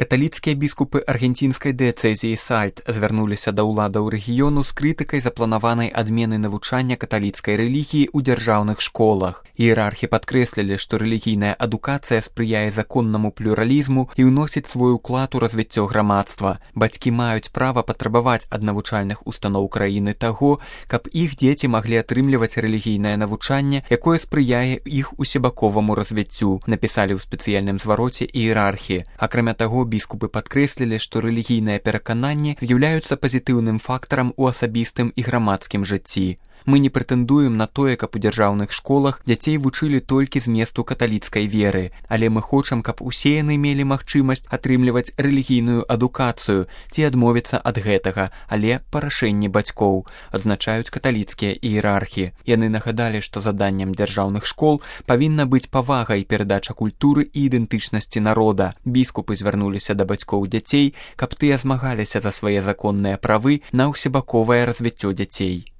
Каталіцкія біскупы аргенцінскай дыяцэзіі Сальт звярнуліся да ўладаў рэгіёну з крытыкай запланаванай адмены навучання каталіцкай рэлігіі ў дзяржаўных школах. Іерархі падкрэслілі, што рэлігійная адукацыя спрыяе законнаму плюралізму і ўносіць свой уклад у развіццё грамадства. Бацькі маюць права патрабаваць ад навучальных устаноў краіны таго, каб іх дзеці маглі атрымліваць рэлігійнае навучанне, якое спрыяе іх усебаковаму развіццю, напісалі ў спецыяльным звароце іерархі. Акрамя таго, біскупы падкрэслілі, што рэлігійныя перакананні з'яўляюцца пазітыўным фактарам у асабістым і грамадскім жыцці. Мы не прэтэндуем на тое, каб у дзяржаўных школах дзяцей вучылі толькі зместу каталіцкай веры, але мы хочам, каб усе яны мелі магчымасць атрымліваць рэлігійную адукацыю ці адмовіцца ад гэтага, але па рашэнні бацькоў, адзначаюць каталіцкія іерархі. Яны нагадалі, што заданнем дзяржаўных школ павінна быць павага і перадача культуры і ідэнтычнасці народа. Біскупы звярнуліся да бацькоў дзяцей, каб тыя змагаліся за свае законныя правы на ўсебаковае развіццё дзяцей.